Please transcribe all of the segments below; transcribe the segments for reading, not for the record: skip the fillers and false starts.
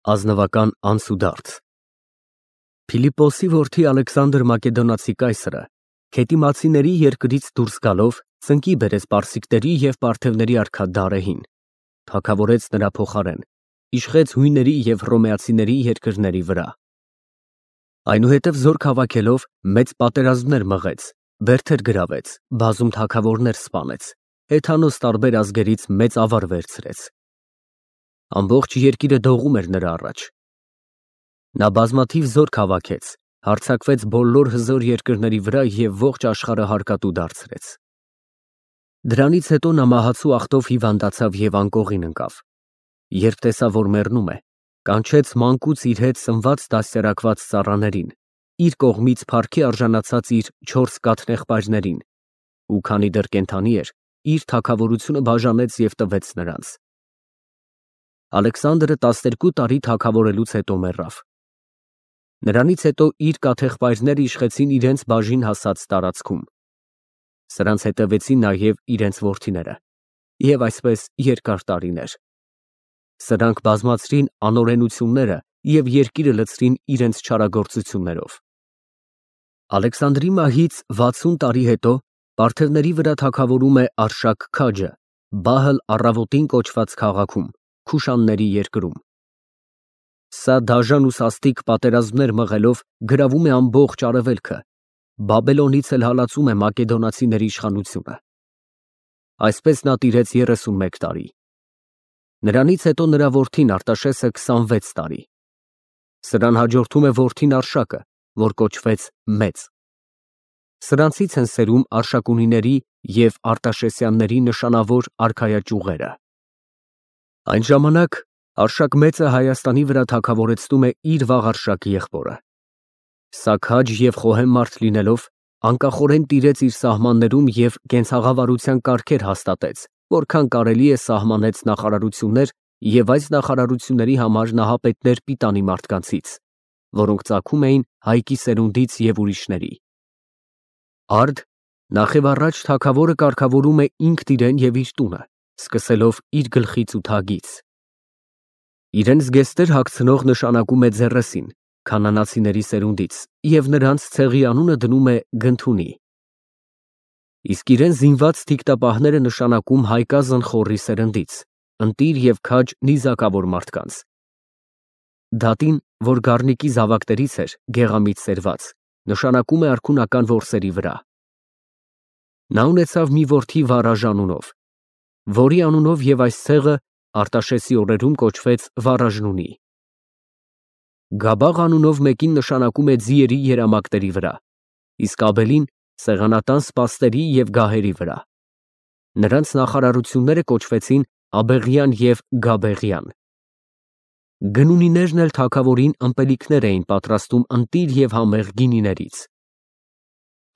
Ազնվական անցուդարձ Փիլիպպոսի որդի Ալեքսանդր Մակեդոնացի կայսրը Քետիմացիների երկրից դուրս գալով ծնկի բերեց պարսիկների և պարթևների արքա Դարեհին, թագավորեց նրա փոխարեն, իշխեց հույների և հռոմեացիների երկրների վրա։ Այնուհետև զորք հավաքելով մեծ պատերազմներ մղեց, բերդեր գրավեց, բազում թագավորներ սպանեց, հեթանոս տարբեր ազգերից մեծ ավար վերցրեց։ Ամբողջ երկիրը դողում էր նրա առաջ։ Նա բազմաթիվ զորք հավաքեց, հարձակվեց բոլոր հզոր երկրների վրա և ողջ աշխարհը հարկատու դարձրեց։ Դրանից հետո նա մահացու ախտով հիվանդացավ և անկողին ընկավ։ Երբ տեսավ, որ մեռնում է, կանչեց մանկուց իր հետ սնված դաստիարակված ծառաներին, իր կողմից փառքի արժանացած իր 4 կաթնեղբայրներին, ու քանի դեռ կենդանի էր, իր թագավորությունը բաժանեց և տվեց նրանց։ Ալեքսանդրը 12 տարի թագավորելուց հետո մեռավ։ Նրանից հետո իր կաթեղբայրները իշխեցին իրենց բաժին հասած տարածքում։ Սրանց հետևեցին նաև իրենց որդիները, և այսպես երկար տարիներ։ Սրանք բազմացրին անօրենությունները և երկիրը լցրին իրենց չարագործություններով։ Ալեքսանդրի մահից 60 տարի հետո պարթևների վրա թագավորում է Արշակ քաջը Բահլ առավոտին կոչված քաղաքում, Քուշանների երկրում։ Սա դաժան ու սաստիկ պատերազմներ մղելով գրավում է ամբողջ արևելքը, Բաբելոնից էլ հալածում է մակեդոնացիների իշխանությունը։ Այսպես նա տիրեց 31 տարի։ Նրանից հետո նրա որդին Արտաշեսը 26 տարի։ Սրան հաջորդում է որդին Արշակը, որ կոչվեց Մեծ։ Սրանցից են սերում Արշակունիների և Արտաշեսյանների նշանավոր արքայաճյուղերը։ Այն ժամանակ Արշակ Մեծը Հայաստանի վրա թագավորեցնում է իր վաղ եղբորը։ Սա քաջ և խոհեմ մարդ լինելով, անկախորեն տիրեց իր սահմաններում և կենցաղավարության կարգեր հաստատեց, որքան կարելի է սահմանեց նախարարություններ և այս նախարարությունների համար նահապետներ պիտանի մարդկանցից, որոնք ծագում էին Հայկի սերունդից և ուրիշների։ Արդ նախևառաջ թագավորը կարգավորում է ինքն իրեն և իր տունը, սկսելով իր գլխից ու թագից։ Իրեն զգեստեր հագցնող նշանակում է Ձեռեսին, քանանացիների սերունդից, և նրանց ցեղի անունը դնում է Գնթունի։ Իսկ իրեն զինված թիկտապահները նշանակում Հայկազն Խոռի սերնդից, ընտիր և քաջ նիզակավոր մարդկանց։ Դատին, որ Գառնիկի զավակներից էր, գեղամիտ սերված, նշանակում է արքունական որսերի վրա։ Նա ունեցավ մի որդի Վարաժ անունով, որի անունով և այս ցեղը Արտաշեսի օրերում կոչվեց Վարաժնունի։ Գաբաղ անունով մեկին նշանակում է ձիերի երամակների վրա, իսկ Աբելին սեղանատան սպաստերի և գահերի վրա։ Նրանց նախարարությունները կոչվեցին Աբեղյան և Գաբեղյան։ Գնունիներն էլ թագավորին ըմպելիքներ էին պատրաստում ընտիր և համեղ գինիներից։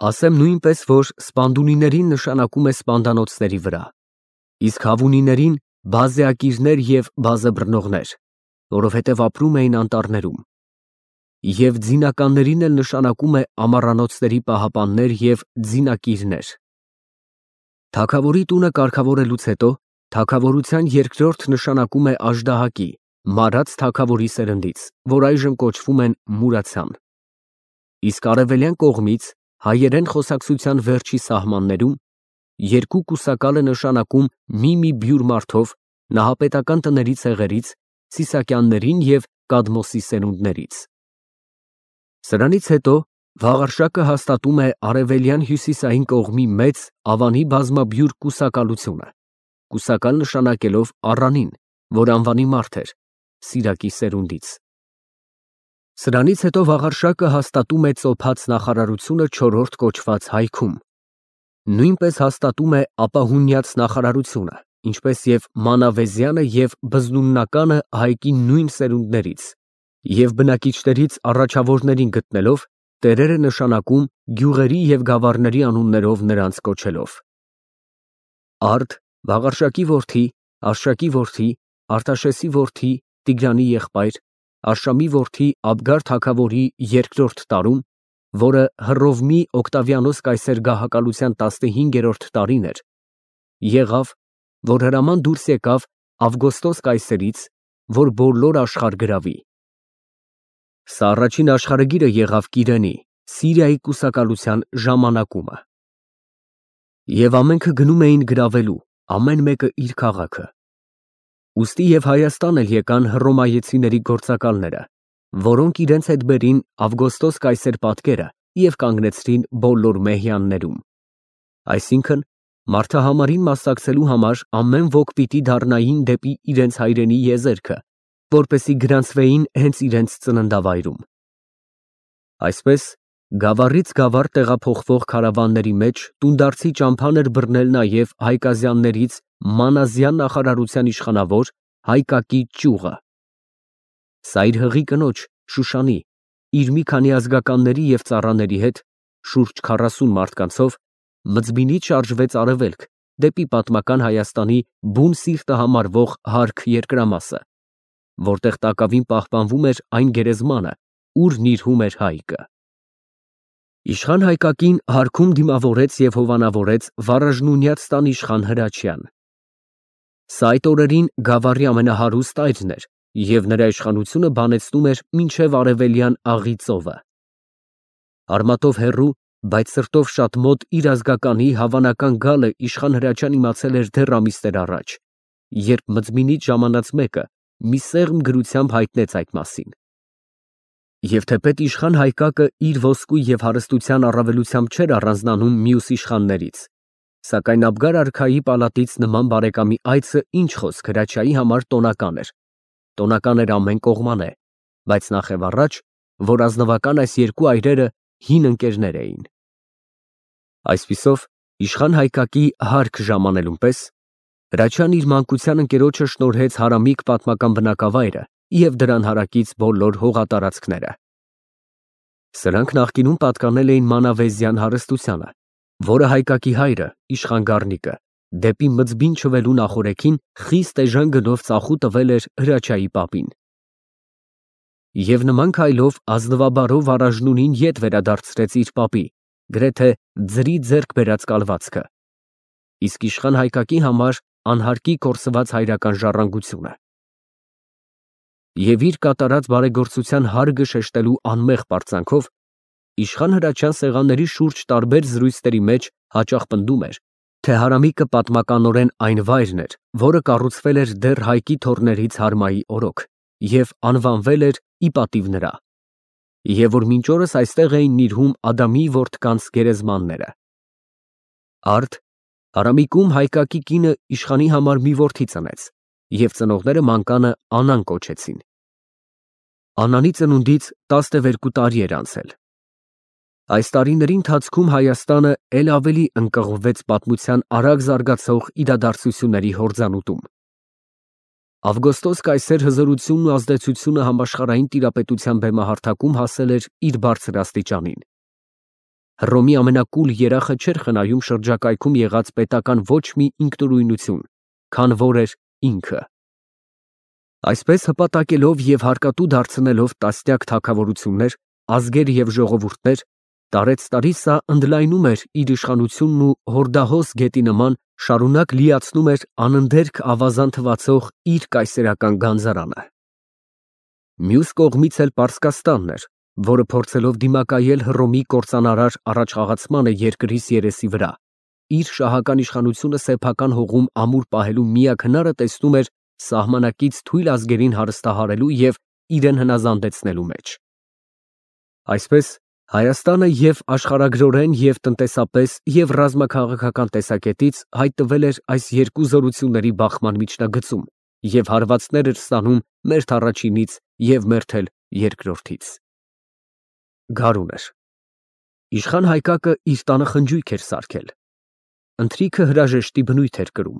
Ասեմ նույնպես, որ Սպանդունիներին նշանակում է սպանդանոցների վրա, իսկ Հավունիներին բազեակիրներ և բազեբռնողներ, որովհետև ապրում էին անտառներում, և ձինականներին էլ նշանակում է ամառանոցների պահապաններ և ձինակիրներ։ Թագավորի տունը կարգավորելուց հետո թագավորության երկրորդ նշանակում է Աժդահակի, մարած թագավորի սերնդից, որ այժմ կոչվում են Մուրացյան։ Իսկ արևելյան կողմից հայերեն խոսակցության վերջի սահմաններում երկու կուսակալ է նշանակում մի բյուր մարդով նահապետական տների ցեղերից, Սիսակյաններին և Կադմոսի սերունդներից։ Սրանից հետո Վաղարշակը հաստատում է արևելյան հյուսիսային կողմի մեծ Ավանի բազմաբյուր կուսակալությունը, կուսակալ նշանակելով Առանին, որ անվանի մարդ էր, Սիրակի սերունդից։ Սրանից հետո Վաղարշակը հաստատում է ծոփած նախարարությունը չորրորդ կոչված Հայքում, նույնպես հաստատում է ապահունյաց նախարարությունը, ինչպես և Մանավեզյանը և Բզնուննականը Հայկի նույն սերունդներից, և բնակիչներից առաջավորներին գտնելով, տերերը նշանակում գյուղերի և գավառների անուններով նրանց կոչելով։ Արդ Վաղարշակի որդի, Արշակի որդի, Արտաշեսի որդի, Տիգրանի եղբայր, Արշամի որդի Աբգար թագավորի երկրորդ տարում, որը Հռովմի Օկտավիանոս կայսեր գահակալության 15-րդ տարին էր, եղավ, որ հրաման դուրս եկավ Ավգոստոս կայսերից որ բոլոր աշխարհ գրավի։ Սա առաջին աշխարհագիրը եղավ Կիրենի, Սիրիայի կուսակալության ժամանակումը։ Եվ ամենքը գնում էին գրավելու, ամեն մեկը իր քաղաքը։ Ուստի և Հայաստան էլ եկան հռոմայեցիների գործակալները, որոնք իրենց հետ բերին Ավգոստոս կայսեր պատկերը և կանգնեցրին բոլոր մեհյաններում։ Այսինքն, մարդահամարին մասնակցելու համար ամեն ոք պիտի դառնային դեպի իրենց հայրենի եզերքը, որպեսզի գրանցվեին հենց իրենց ծննդավայրում։ Այսպես, գավառից գավառ տեղափոխվող քարավանների մեջ տունդարձի ճամփան էր բռնել նաև Հայկազյաններից Մանազյան նախարարության իշխանավոր Հայկակի ճյուղը։ Սա իր հղի կնոջ Շուշանի, իր մի քանի ազգականների և ծառաների հետ, շուրջ 40 մարդկանցով, մձբինից շարժվեց արևելք, դեպի պատմական Հայաստանի բուն սիրտը համարվող հարգ երկրամասը, որտեղ տակավին պահպանվում էր այն գերեզմանը, ուր նիրհում էր Հայկը։ Իշխան Հայկակին հարգում դիմավորեց և հովանավորեց վառաժնունյաց տան իշխան Հրաչյան։ Սա այդ օրերին գավառի ամենահարուստ այրն էր և նրա իշխանությունը բանեցնում էր մինչև արևելյան Աղի ծովը։ Արմատով հեռու, բայց սրտով շատ մոտ իր ազգականի հավանական գալը իշխան Հրաչյան իմացել էր դեռ ամիսներ առաջ, երբ մձմինից ժամանած մեկը մի սեղմ գրությամբ հայտնեց այդ մասին։ Եվ թեպետ իշխան Հայկակը իր ոսկու և հարստության առավելությամբ չէր առանձնանում մյուս իշխաններից, սակայն Աբգար արքայի պալատից նման բարեկամի այցը ինչ խոսք Հրաչյայի համար տոնական էր։ Տոնական էր ամեն կողմանե, բայց նախևառաջ, որ ազնվական այս երկու այրերը հին ընկերներ էին։ Այսպիսով, իշխան Հայկակի հարգ ժամանելուն պես Հրաչյան իր մանկության ընկերոջը շնորհեց հարամիկ պատմական բնակավայրը և դրան հարակից բոլոր հողատարածքները։ Սրանք նախկինում պատկանել էին մանավեզյան հարստությանը, որը Հայկակի հայրը, իշխան Գառնիկը, դեպի մձբին չվելու նախօրեքին խիստ էժան գնով ծախու տվել էր Հրաչյայի պապին։ Եվ նման քայլով ազնվաբարով առաժնունին ետ վերադարձրեց իր պապի, գրեթե ձրի ձեռք բերած կալվածքը, իսկ իշխան Հայկակի համար անհարկի կորսված հայրական ժառանգությունը։ Եվ իր կատարած բարեգործության հարգը շեշտելու անմեղ պարծանքով իշխան Հրաչյան սեղանների շուրջ տարբեր զրույցների մեջ հաճախ պնդում էր, թե հարամիկը պատմականորեն այն վայրն էր, որը կառուցվել էր դեռ Հայկի թոռներից Հարմայի օրոք և անվանվել էր ի պատիվ նրա, և որ մինչ օրս այստեղ էին նիրհում Ադամի որդկանց գերեզմանները։ Արդ Հարամիկում Հայկակի կինը իշխանի համար մի որդի ծնեց, և ծնողները մանկանը Անան կոչեցին։ Անանի ծնունդից 12 տարի էր անցել։ Այս տարիների ընթացքում Հայաստանը էլ ավելի ընկղմվեց պատմության արագ զարգացող իրադարձությունների հորձանուտում։ Ավգոստոս կայսեր հզորությունն ու ազդեցությունը համաշխարհային տիրապետության բեմահարթակում հասել էր իր բարձր աստիճանին։ Հռոմի ամենակուլ երախը չէր խնայում շրջակայքում եղած պետական ոչ մի ինքնուրույնություն, քան որ էր ինքը։ Այսպես հպատակելով և հարկատու դարձնելով տասնյակ թագավորություններ, ազգեր և ժողովուրդներ, տարեցտարի սա ընդլայնում էր իր իշխանությունն ու հորդահոս գետի նման շարունակ լիացնում էր անընդերք ավազան թվացող իր կայսերական գանձարանը։ Մյուս կողմից էլ Պարսկաստանն էր, որը փորձելով դիմակայել Հռոմի կործանարար առաջխաղացմանը երկրից երեսի վրա, իր շահական իշխանությունը սեփական հողում ամուր պահելու միակ հնարը տեսնում էր սահմանակից թույլ ազգերին հարստահարելու և իրեն հնազանդեցնելու մեջ։ Այսպես, Հայաստանը և աշխարհագրորեն և տնտեսապես և ռազմաքաղաքական տեսակետից հայտնվել էր այս երկու զորությունների բախման միջնագծում և հարվածներ էր ստանում մերթ առաջինից և մերթ էլ երկրորդից։ Գարուն էր։ Իշխան Հայկակը իր տանը խնջույք էր սարքել։ Ընթրիքը հրաժեշտի բնույթ էր կրում։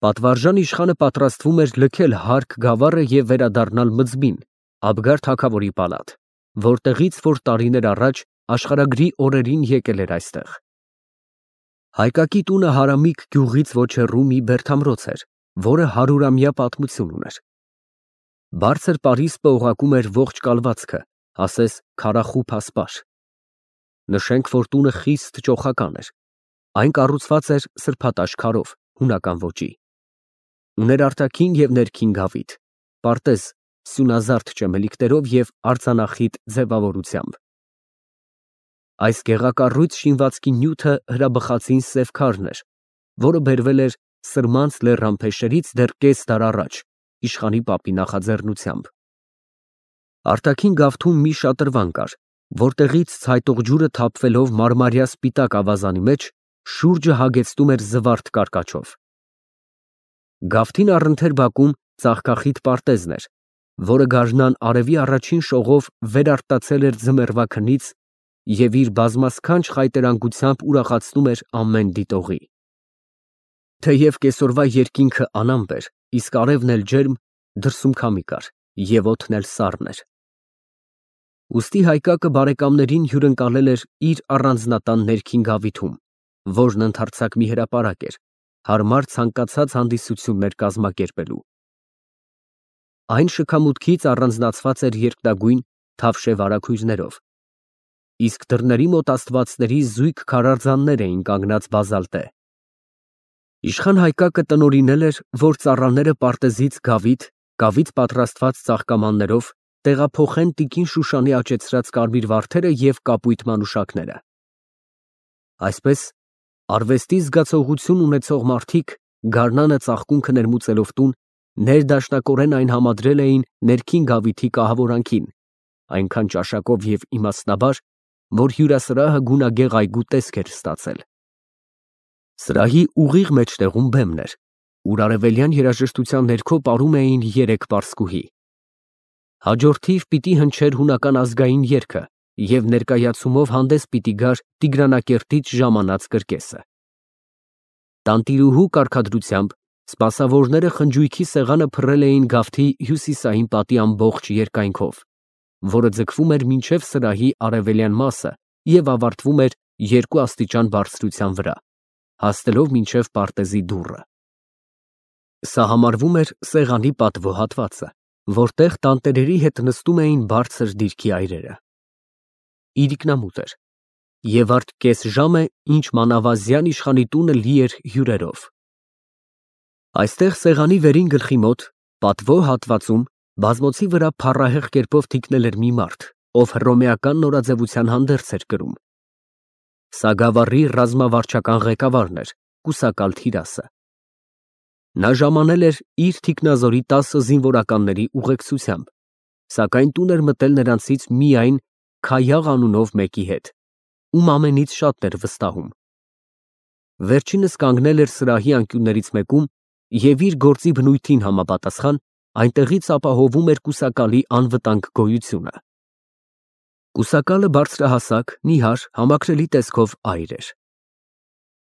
Պատվարժան իշխանը պատրաստվում էր լքել հարգ գավառը և վերադառնալ Մձբին, Աբգար թագավորի պալատ, որտեղից որ տարիներ առաջ աշխարհագրի օրերին եկել էր այստեղ։ Հայկակի տունը Հարամիկ գյուղից ոչ հեռու մի բերդամրոց էր, որը 100-ամյա պատմություն ուներ։ Բարձր պարիսպը օղակում էր ողջ կալվածքը, ասես քարախուբ ասպար։ Նշենք, որ տունը խիստ ճոխական էր։ Այն կառուցված էր սրբատաշ քարով, հունական ոճի։ Ուներ արտաքին և ներքին գավիթ։ պարտեզ սյունազարդ ճեմելիքներով և արձանախիտ ձևավորությամբ։ Այս գեղակառույց շինվածքի նյութը հրաբխածին սև քարն էր, որը բերվել էր Սրմանց լեռան փեշերից դեռ կես դար առաջ, իշխանի պապի նախաձեռնությամբ։ Արտաքին գավթում մի շատրվան կար, որտեղից ցայտող ջուրը թափվելով մարմարյա սպիտակ ավազանի մեջ շուրջը հագեցնում էր զվարթ կարկաչով։ Գավթին առընթեր բակում ծաղկախիտ պարտեզն էր, որը գարնան արևի առաջին շողով վերարտացել էր ձմեռվա քնից և իր բազմասքանչ խայտերանգությամբ ուրախացնում էր ամեն դիտողի։ Թեև կեսօրվա երկինքը անամպ էր, իսկ արևն էլ ջերմ, դրսում քամի կար և օդն էլ սառն էր։ Ուստի Հայկակը բարեկամներին հյուրընկալել էր իր առանձնատան ներքին գավիթում, որն ընդարձակ մի հրապարակ էր, հարմար ցանկացած հանդիսություններ կազմակերպելու։ Այն շքամուտքից առանձնացված էր երկնագույն թավշե վարագույրներով, իսկ դռների մոտ աստվածների զույգ քարարձաններ էին կանգնած բազալտե։ Իշխան Հայկակը տնօրինել էր, որ ծառաները պարտեզից գավիթ պատրաստված ծաղկամաններով տեղափոխեն տիկին Շուշանի աճեցրած կարմիր վարդերը և կապույտ մանուշակները։ Այսպես, արվեստի զգացողություն ունեցող մարդիկ գարնանը ծաղկունքը ներմուծելով տուն, ներդաշնակորեն այն համադրել էին ներքին գավիթի կահավորանքին, այնքան ճաշակով և իմաստնաբար, որ հյուրասրահը գունագեղ այգու տեսք էր ստացել։ Սրահի ուղիղ մեջտեղում բեմն էր, ուր արևելյան երաժշտության ներքո պարում էին երեք պարսկուհի։ Հաջորդիվ պիտի հնչեր հունական ազգային երգը և ներկայացումով հանդես պիտի գար Տիգրանակերտից ժամանած կրկեսը։ Տանտիրուհու կարգադրությամբ սպասավորները խնջույքի սեղանը փռել էին գավթի հյուսիսային պատի ամբողջ երկայնքով, որը ձգվում էր մինչև սրահի արևելյան մասը և ավարտվում էր 2 աստիճան բարձրության վրա, հասնելով մինչև պարտեզի դուռը։ Սա համարվում էր սեղանի պատվո հատվածը, որտեղ տանտերերի հետ նստում էին բարձր դիրքի այրերը։ Իրիկնամուտ էր, և արդ կես ժամ է, ինչ մանավազյան իշխանի տունը լի էր հյուրերով։ Այստեղ սեղանի վերին գլխի մոտ, պատվո հատվածում, բազմոցի վրա փառահեղ կերպով թիկնել էր մի մարդ, ով հռոմեական նորաձևության հանդերձ էր կրում։ Սա գավառի ռազմավարչական ղեկավարն էր, կուսակալ Թիրասը։ Նա ժամանել էր իր թիկնազորի 10 զինվորականների ուղեկցությամբ, սակայն տուն էր մտել նրանցից միայն Քայաղ անունով մեկի հետ, ում ամենից շատն էր վստահում։ Վերջինս կանգնել էր սրահի անկյուններից մեկում և իր գործի բնույթին համապատասխան այնտեղից ապահովում էր կուսակալի անվտանգ գոյությունը։ Կուսակալը բարձրահասակ, նիհար, համակրելի տեսքով այր էր։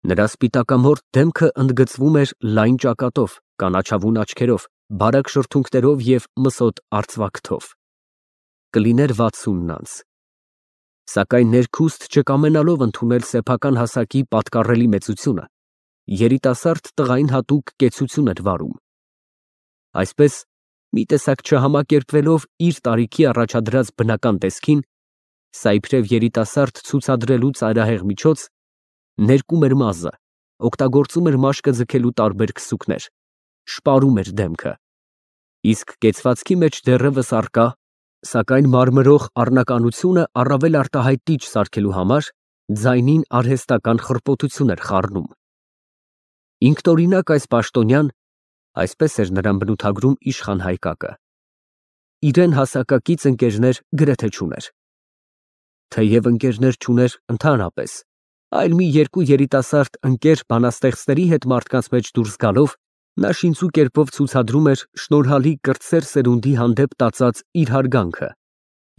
Նրա սպիտակամորթ դեմքը ընդգծվում էր լայն ճակատով, կանաչավուն աչքերով, բարակ շրթունքներով և մսոտ արծվաքթով։ Կլիներ 60 անց։ Սակայն ներքուստ չկամենալով ընդունել սեփական հասակի պատկառելի մեծությունը, երիտասարդ տղային հատուկ կեցություն էր վարում։ Այսպես, մի տեսակ չհամակերպվելով իր տարիքի առաջադրած բնական տեսքին, սա իբրև երիտասարդ ցուցադրելու ծայրահեղ միջոց, ներկում էր մազը, օգտագործում էր մաշկը ձգելու տարբեր քսուկներ, շպարում էր դեմքը, իսկ կեցվածքի մեջ դեռևս առկա, սակայն մարմրող առնականությունը առավել արտահայտիչ սարքելու համար ձայնին արհեստական խռպոտություն էր խառնում։ Ինքնօրինակ այս պաշտոնյան, այսպես էր նրան բնութագրում իշխան Հայկակը, իրեն հասակակից ընկերներ գրեթե չուներ։ Թեև ընկերներ չուներ ընդհանրապես, այլ մի երկու երիտասարդ ընկեր բանաստեղծների հետ մարդկանց մեջ դուրս գալով, նա շինծու կերպով ցուցադրում էր շնորհալի կրտսեր սերունդի հանդեպ տածած իր հարգանքը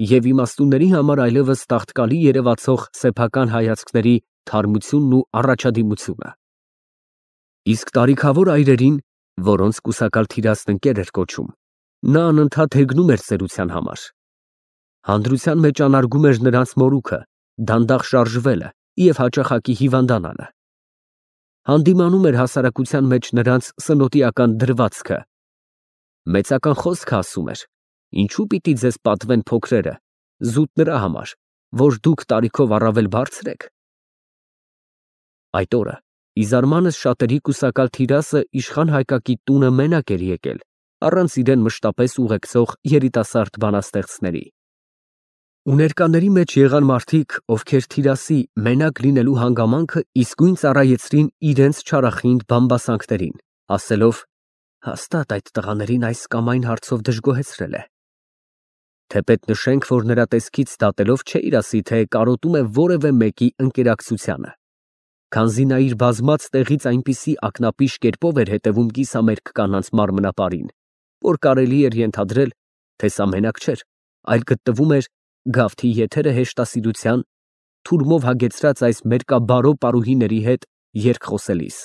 և իմաստունների համար այլևս տաղտկալի երևացող սեփական հայացքների թարմությունն ու առաջադիմությունը։ Իսկ տարիքավոր այրերին, որոնց կուսակալ Թիրասն ընկեր էր կոչում, նա անընդհատ հեգնում էր ծերության համար։ Հանդրության մեջ անարգում էր նրանց մորուքը, դանդաղ շարժվելը և հաճախակի հիվանդանալը։ Հանդիմանում էր հասարակության մեջ նրանց սնոտիական դրվածքը։ Մեծական խոսքը ասում էր. «Ինչու պիտի ձեզ պատվեն փոքրերը, զուտ նրա համար, որ դուք տարիքով առավել բարձր եք»։ Այդ օրը ի զարմանս շատերի կուսակալ Թիրասը իշխան Հայկակի տունը մենակ էր եկել առանց իրեն մշտապես ուղեկցող երիտասարդ բանաստեղծների։ Ու ներկաների մեջ եղան մարդիկ, ովքեր թիրասի մենակ լինելու հանգամանքը իսկույն ծառայեցրին իրենց չարախինդ բամբասանքներին, ասելով. հաստատ այդ տղաներին այս կամ այն հարցով դժգոհեցրել է։ Թեպետ նշենք, որ նրա տեսքից դատելով չէ իրասի, թե կարոտում է որևէ մեկի ընկերակցությանը, քանզի նա իր բազմած տեղից այնպիսի ակնապիշ կերպով էր հետևում կիսամերկ կանանց մարմնապարին, որ կարելի էր ենթադրել, թե սա մենակ չէր, այլ գտնվում էր գավթի եթերը հեշտասիրության, թուրմով հագեցրած այս մերկաբարո պարուհիների հետ երգ խոսելիս։